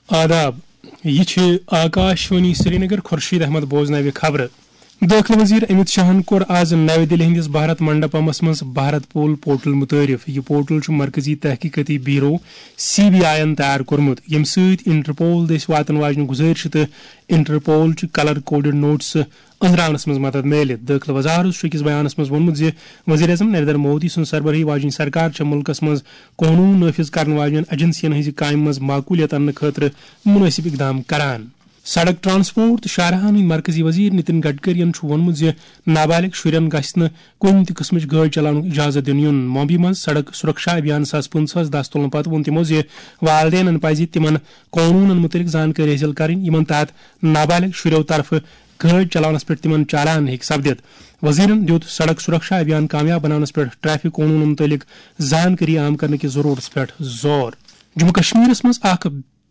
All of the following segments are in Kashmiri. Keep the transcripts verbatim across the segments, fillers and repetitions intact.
آداب، یہِ چھِ آکاشوانی سرینگر۔ خورشید احمد بوزناوِ خبرٕ۔ دٲخلہٕ وزیر امت شاہن کوٚر آز نَوِ دِلہِ ہٕنٛدِس بھارت منڈپمس منٛز بھارت پول پورٹل متعارف۔ یہِ پورٹل چھُ مرکزی تحقیقاتی بیورو، سی بی آئی یَن تیار کوٚرمُت، ییٚمہِ سۭتۍ انٹرپول دٔسۍ واتن واجنہِ گُزٲرشہٕ تہٕ انٹرپول چہِ کلر کوڈڈ نوٹسہٕ أنٛزراونس منٛز مدد میلہِ۔ دٲخلہٕ وزارت چھُ أکِس بیانس منٛز ووٚنمُت زِ وزیر اعظم نریندر مودی سٕنٛز سربرٲہی واجیٚنۍ سرکار چھےٚ مُلکس منٛز قونوٗن نافذ کرن واجیٚنۍ ایجنسین ہٕنٛزِ کامہِ منٛز معقولیت اننہٕ خٲطرٕ مُنٲسِب اقدام کران۔ سڑک، ٹرانسپورٹ تہٕ شاہراہن ہٕنٛدۍ مرکزی وزیر نتن گڈکرین چھُ ووٚنمُت زِ نابالغ شُرٮ۪ن گژھِ نہٕ کُنہِ تہِ قٕسمٕچ گٲڑۍ چلاونُک اجازت دِنہٕ یُن۔ ممبئی منٛز سڑک سرکشا ابھیان زٕ ساس پٕنٛژٕہس دست تُلنہٕ پتہٕ ووٚن تِمو زِ والدینن پزِ تِمن قونوٗنن مُتعلق زانکٲری حٲصِل کرٕنۍ، یِمن تحت نابالغ شُرٮ۪و طرفہٕ گٲڑۍ چلاونس پٮ۪ٹھ تِمن چالان ہیٚکہِ سپدِتھ۔ وزیرن دیُت سڑک سرکشا ابھیان کامیاب بناونس پٮ۪ٹھ ٹریفک قونوٗنن مُتعلق زانکٲری عام کرنہٕ کِس ضروٗرتس پٮ۪ٹھ زور۔ جموں کشمیرس منٛز اکھ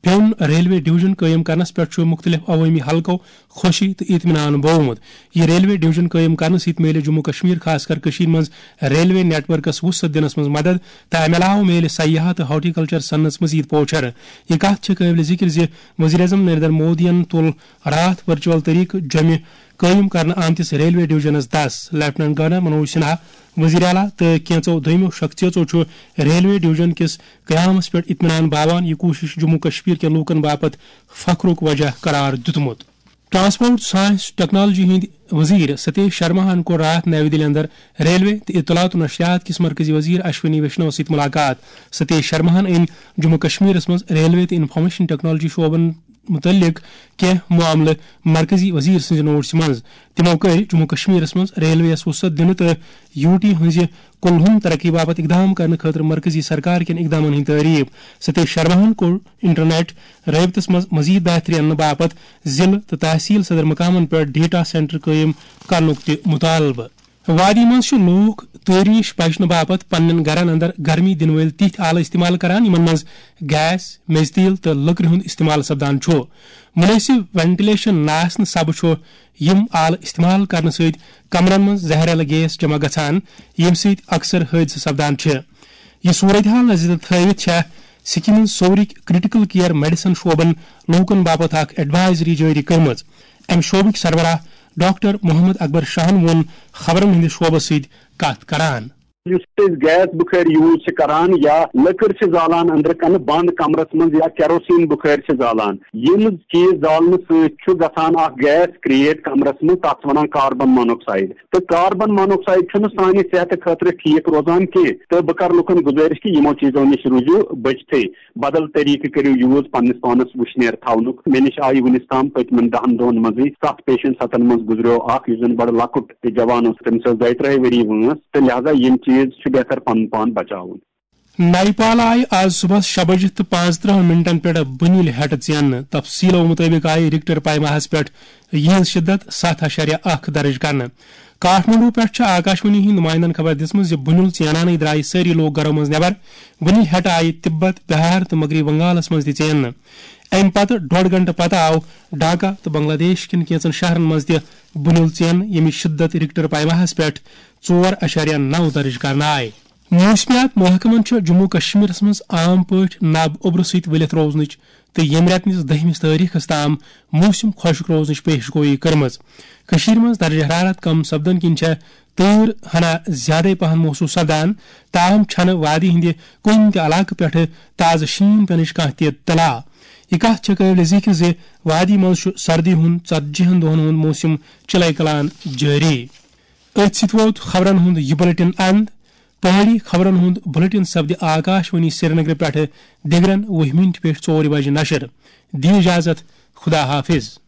بیوٚن ریلوے ڈویژن قٲیِم کرنس پٮ۪ٹھ چھُ مُختٔلِف عوٲمی حلقو خوشی تہٕ اطمینان بوومُت۔ یہِ ریلوے ڈویژن قٲیِم کرنہٕ سۭتۍ میلہِ جموں کشمیر، خاص کر کٔشیٖر منٛز ریلوے نیٹ ورکس وُسعت دِنس منٛز مدد تہٕ امہِ علاوٕ میلہِ سیاحت تہٕ ہارٹیکلچر صنعتس مزید پوچھر۔ یہِ کتھ چھےٚ قٲبلِ ذکر زِ وزیر اعظم نریندر مودیَن تُل راتھ ورچوئل طریقہٕ جوٚمہِ قٲیِم کرنہٕ آمتِس ریلوے ڈویژنس دس۔ لیفٹیننٹ گورنر منوج سنہا، وزیر اعلیٰ تہٕ کینٛژو دوٚیمو شخصیژو چھُ ریلوے ڈویژن کِس قیامس پٮ۪ٹھ اطمینان باوان، یہِ کوٗشش جموں کشمیر کٮ۪ن لوٗکن باپتھ فخرُک وجہ قرار دیُتمُت۔ ٹرانسپورٹ سائنس ٹیکنالوجی ہٕنٛدۍ وزیر ستیش شرماہن کوٚر راتھ نَوِ دِلہِ اندر ریلوے تہٕ اطلاعات و نشریات کِس مرکزی وزیر اشونی ویشنوَس سۭتۍ ملاقات۔ ستیش شرماہن أنۍ جموں کشمیرس منٛز ریلوے تہٕ انفارمیشن ٹیکنالوجی شعبن مُتعلق کینٛہہ معاملہٕ مرکزی وزیر سٕنٛزِ نوٹسہِ منٛز۔ تِمو کٔرۍ جموں کشمیرس منٛز ریلوے یَس وُسعت دِنہٕ تہٕ یو ٹی ہٕنٛزِ کُلہُم ترقی باپتھ اقدام کرنہٕ خٲطرٕ مرکزی سرکار کٮ۪ن اقدامن ہٕنٛز تعریف۔ ستیش شرماہن کوٚر انٹرنیٹ رٲبطس منٛز مزید بہتری اننہٕ باپتھ ضلعہٕ تہٕ تحصیل صدر مقامن پٮ۪ٹھ ڈیٹا سینٹر قٲیِم کرنُک تہِ مطالبہٕ۔ وادی منٛز چھِ لوٗکھ تٲریٖش بچنہٕ باپتھ پننٮ۪ن گرن اندر گرمی دِنہٕ وٲلۍ تِتھۍ آلہٕ استعمال کران، یِمن منٛز گیس، میٚژِ تیٖل تہٕ لٔکرِ ہُنٛد استعمال سپدان چھُ۔ مُنٲسِب وینٹیلیشن نہٕ آسنہٕ سببہٕ چھُ یِم آلہٕ استعمال کرنہٕ سۭتۍ کمرن منٛز زہریلہٕ گیس جمع گژھان، ییٚمہِ سۭتۍ اکثر حٲدثہٕ سپدان چھِ۔ یہِ صورتحال نظرِ تل تھٲوِتھ چھےٚ سکمہِ ہٕنٛز سورٕکۍ کریٹیکل کیئر میڈیسن شعبن لوٗکن باپتھ اکھ ایڈوائزری جٲری کٔرمٕژ۔ امہِ شعبٕکۍ سربراہ ڈاکٹر محمد اکبر شاہن ووٚن خبرن ہٕنٛدِس شعبس سۭتۍ کتھ کران۔ یُس أسۍ گیس بُخٲرۍ یوٗز چھِ کران یا لٔکٕر چھِ زالان أنٛدرٕ کنہٕ بنٛد کمرس منٛز یا کیروسین بُخٲرۍ چھِ زالان، یِم چیٖز زالنہٕ سۭتۍ چھُ گژھان اکھ گیس کریٹ کمرس منٛز، تتھ چھِ ونان کاربن مونوکسائیڈ۔ تہٕ کاربن مونوکسائیڈ چھُنہٕ سانہِ صحتہٕ خٲطرٕ ٹھیٖک روزان کینٛہہ۔ تہٕ بہٕ کرٕ لُکن گُزٲرِش کہِ یِمو چیٖزو نِش روٗزِو بٔچتھٕے، بدل طریٖقہٕ کٔرِو یوٗز پننِس پانس وُشنیر تھاونُک۔ مےٚ نِش آیہِ وُنِس تام پٔتمٮ۪ن دَہن دۄہن منٛزٕے ستھ پیشنٹ، ستن منٛز گُزریو اکھ یُس زن بڑٕ لۄکُٹ تہٕ جوان اوس، تٔمِس ٲس دۄیہِ ترٛہہِ ؤری وٲنٛس، تہٕ لہذا یِم چیٖز چھِ بہتر پنُن پان بچاوُن۔ نیپال آیہِ آز صبحس شےٚ بجہِ تہٕ پانٛژترٕٛہن منٹن پٮ۪ٹھ بُنِل ہیٚٹہٕ ژیننہٕ۔ تفصیلو مُطٲبِق آیہِ رِکٹر پیماہس پٮ۪ٹھ یِہٕنٛز شدت ستھ اعشاریہ اکھ درج کرنہٕ۔ کاٹھمنڈو پٮ۪ٹھ چھِ آکاشوانی ہٕنٛدۍ نُمایندن خبر دِژمٕژ زِ بُنِل ژینانے درایہِ سٲری لوٗکھ گرو منٛز نٮ۪بر۔ بُنِل ہیٚٹہٕ آیہِ تِبت، بِہار تہٕ مغربی بنگالس منٛز تہِ ژیننہٕ۔ امہِ پتہٕ ڈۄڈ گھنٹہٕ پتہٕ آو ڈھاکہ تہٕ بنگلہ دیش کٮ۪ن کینٛژن شہرن منٛز تہِ بُنِل ژینہٕ، ییٚمِچ شدت رِکٹر پیماہس پٮ۪ٹھ ژور اعشاریہ نَو درج کرنہٕ آیہِ۔ موسمیات محکمن چھُ جموں کشمیرس منٛز عام پٲٹھۍ نب اوٚبرٕ سۭتۍ ؤلِتھ روزنٕچ تہٕ ییٚمہِ رٮ۪تہٕ کِس دٔہمِس تٲریخس تام موسم خۄشک روزنٕچ پیش گویی کٔرمٕژ۔ کٔشیٖرِ منٛز درجہ حرارت کم سپدن کِنۍ چھےٚ تۭر ہنا زیادَے پہن محسوس سپدان، تاہم چھنہٕ وادی ہٕنٛدِ کُنہِ تہِ علاقہٕ پٮ۪ٹھٕ تازٕ شیٖن پینٕچ کانٛہہ تہِ اطلاع۔ یہِ کتھ چھےٚ قٲبلِ ذِکر زِ وادی منٛز چھُ سردی ہُنٛد ژتجی ہن دۄہن ہُنٛد موسم چِلے کلان جٲری۔ أتھۍ سۭتۍ ووت خبرن ہُنٛد یہِ بُلٹن اند۔ پہٲڑی خبرن ہُنٛد بُلٹن سپدِ آکاشوانی سرینگرٕ پٮ۪ٹھٕ دِگرن وُہہِ مِنٹہِ پٮ۪ٹھ ژورِ بجہِ نشر۔ دِیِو اجازت، خدا حافظ۔